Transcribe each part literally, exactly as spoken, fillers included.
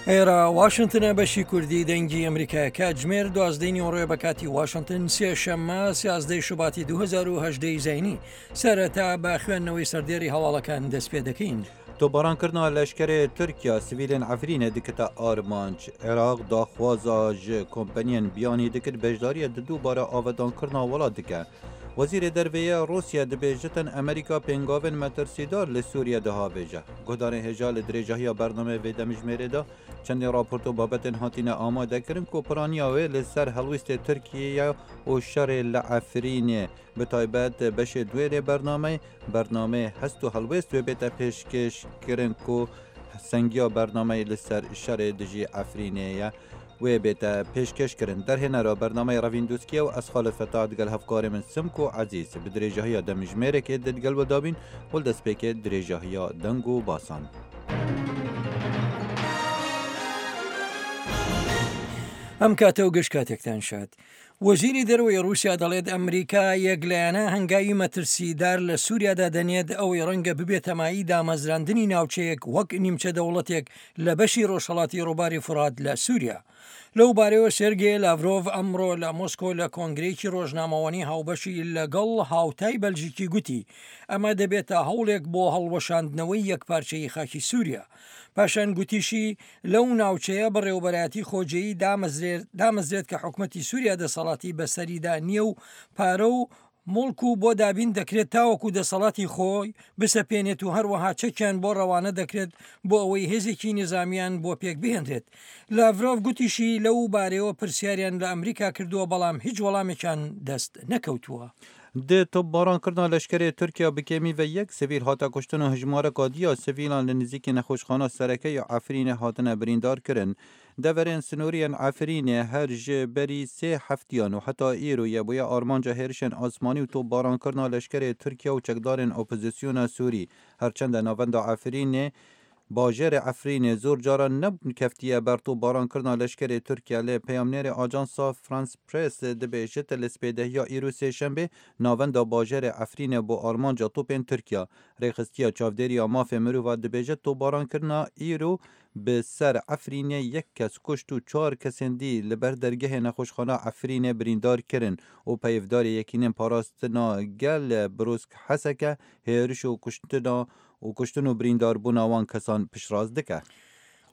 ئێرە واشنتنە بەشی کوردی دەنگی ئەمریکا کاتژمێر دوازدەی نیوەڕۆیە بە کاتی واشنتن سێشەممە سیازدەی شوباتی دوو هەزار و هەژدە ی زایینی. سەرەتا بە خوێندنەوەی سەردێڕی هەواڵەکان دەست پێ دەکەین. Topbarankirina leşkerê Tirkiya sivîlên Efrînê dikite armanc. Iraq daxwaza ji kompaniyên biyanî dikir beşdariya di dubare avedankirina welat dike. Wezîrê Derveyê Rûsya dibêjitin Amerîka pêngavên metirsîdar li Sûriye dihavêje. Guhdarên hêja li dirêjahiya bernameyê vê demijmêrê de çendî raport û babetên hatine amadekirin ku piraniya wê li ser helwîstê Tirkiye û şerê li Efrînê bi taybet beşê duêrê bernameyê, bernameyê hest û helwêst wê bête pêşkêşkirin ku sengiya bernameyê li ser şerê dijî Efrînê ye wê bête pêşkêşkirin. Derhênera bernameyê Revîn Dûskiye û ez Xalid Fetah digel hevkarê min Simko Ezîz bi dirêjahiya demijmêrekê digel we dabîn û li destpêkê dirêjahiya deng û basan. ئەم کاتە و گشت کاتێکتان شاد. وەزیری دەرەوەی ڕووسیا دەڵێت ئەمریکا یەکلایەنە هەنگاوی مەترسیدار لە سووریادا دەنێت ئەوەی ڕەنگە ببێتە مایەی دامەزراندنی ناوچەیەک وەک نیمچە دەوڵەتێک لە بەشی ڕۆژهەڵاتی ڕووباری فورات لە سووریا. لەو بارەیەوە سێرگێ لاڤرۆڤ ئەمڕۆ لە مۆسکۆ لە کۆنگرەیەکی ڕۆژنامەوانی هاوبەشی لەگەڵ هاوتای بەلژیکی گوتی ئەمە دەبێتە هەوڵێک بۆ هەڵوەشاندنەوەی یەکپارچەی خاکی سووریا. پاشان گوتیشی لەو ناوچەیە بەڕێوەبەرایەتی خۆجێیی دامەزرێت کە حکومەتی سووریا دەسەڵاتی بەسەریدا نییە و پارە و موڵک و بۆ دابین دەکرێت تاوەکو دەسەڵاتی خۆی بسەپێنێت و هەروەها چەکیان بۆ ڕەوانە دەکرێت بۆ ئەوەی هێزێکی نظامیان بۆ پێک بهێنرێت. لاڤرۆڤ گوتیشی لەو بارەیەوە پرسیاریان لە ئەمریکا کردووە بەڵام هیچ وەڵامێکیان دەست نەکەوتووە. Di topbarankirina leşkerê Tirkiya bi kêmî ve yek sivîl hate kuştin û hejmareka diya sivîlan li nêzîkî nexweşxana sereke ya Efrînê hatine birîndarkirin. Deverên sinoriyên Efrînê her ji berî sê heftiyan û heta îro ye bûye armanca hêrişên asmanî û topbarankirina leşkerê Tirkiya û çekdarên opozisyona Sûrî. Herçende navenda Efrînê bajêrê Efrînê zor caran nekeftiye ber topbarankirina leşkerê Tirkiye lê peyamnêrê Ajansa France Press dibêjit li spêdehiya îro sêşembê navenda bajêrê Efrînê bo armanca topên Tirkiye. Rêxistiya çavdêriya mafê mirova dibêje topbarankirina îro bi ser Efrînê yek kes kuşt û çar kesên dî li ber dergehê nexweşxana Efrînê birîndar kirin û peyvdarê yekînên parastina gel Brûsk Heseke hêriş û kuştina û kuştin û birîndarbûna wan kesan piştrast dike.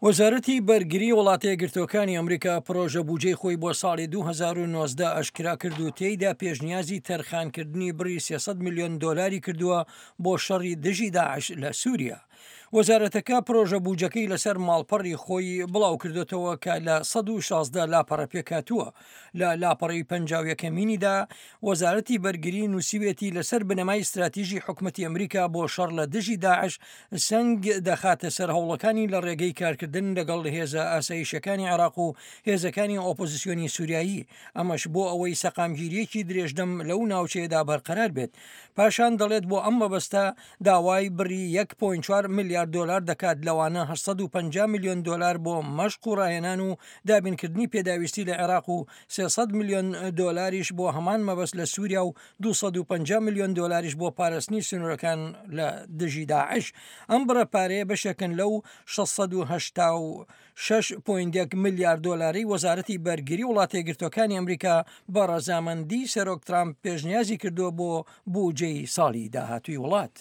وەزارەتی بەرگری وڵاتە یەکگرتووەکانی ئەمریکا پرۆژە بودجەی خۆی بۆ ساڵی دوو هەزار و نۆزدە ئاشکرا کرد و تێیدا پێشنیازی تەرخانکردنی بڕی سێ سەد ملیۆن دۆلاری کردووە بۆ شەڕی دژی داعش لە سووریا. وەزارەتەکە پرۆژە بودجەکەی لەسەر ماڵپەڕی خۆی بڵاو کردوتەوە کە لە سەد و شازدە لاپەڕە پێکهاتووە. لە لاپەڕەی پەنجا و یەکەمینیدا وەزارەتی بەرگری نووسیوێتی لەسەر بنەمای استراتیژی حکومەتی ئەمریکا بۆ شەڕ لە دژی داعش سەنگ دەخاتە سەر هەوڵەکانی لە ڕێگەی کارکردن لەگەڵ هێزە ئاسایشەکانی عێراق و هێزەکانی ئۆپۆزیسیۆنی سووریایی، ئەمەش بۆ ئەوەی سەقامگیریەکی درێژدەم لەو ناوچەیەدا بەرقەرار بێت. پاشان دەڵێت بۆ ئەم مەبەستە داوای بڕی یەک پۆینت چوار ملیارد دۆلار دەکات، لەوانە هەشت سەد و پەنجا ملیۆن دۆلار بۆ مەشق و ڕاهێنان و دابینکردنی پێداویستی لە عێراق و سێ سەد ملیۆن دۆلاریش بۆ هەمان مەبەست لە سووریا و دوو سەد و پەنجا ملیۆن دۆلاریش بۆ پاراستنی سنوورەکان لە دژی داعش. ئەم بڕە پارەیە بەشێکن لەو شەش سەد و هەشتا و شەش پۆینت یەک ملیارد دۆلاری وەزارەتی بەرگری وڵاتە یەکگرتووەکانی ئەمریکا بە ڕەزامەندی سەرۆک ترامپ پێشنیازی کردووە بۆ بودجەی ساڵی داهاتووی وڵات.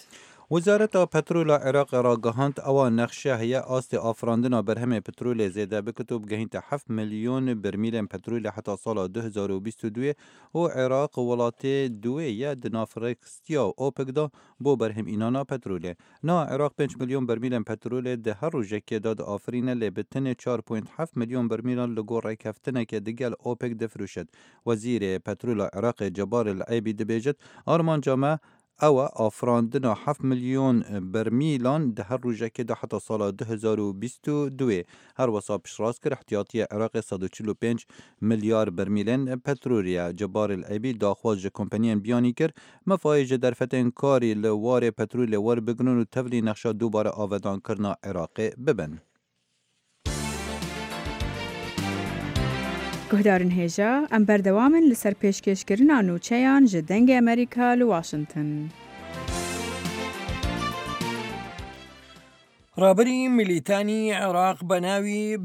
وەزارەتا petrola Iraqê ragihand ewa nexşe heye astê afirandina berhemê petrolê zêde biket û bigehînte heft milyon bermîlên petrolê heta sala du hezar û bîst û duê û Iraq welatê duê ye di nav rêxistiya OPEC de bo berhemînana petrolê. Na Iraq pênc milyon bermîlên petrolê di her rojekê de diafirîne lê bi tenê çar point heft milyon bermîlan li gor rêkeftineke digel OPEC difiroşit. Wezîrê Petrola Iraqê Cebar El Eybî dibêjit armanca me ew afirandina heft milyon bermîlan di her rojekê de heta sala du hezar û bîst û duê. Her wisa piştrast kir ihtiyatiya Iraqê sed û çil û pênc milyar bermîlên petrolê ye. Cebar El Eybî daxwaz ji kompaniyên biyanî kir mefayê ji derfetên karî li warê petrolê werbigirin û tevlî nexşa dubare avedankirina Iraqê bibin. Guhdarên hêja, em berdewam in li ser pêşkêşkirina nûçeyan ji Dengê Amerîka li Washington. ڕابەری میلیتانی عێراق بە ناوی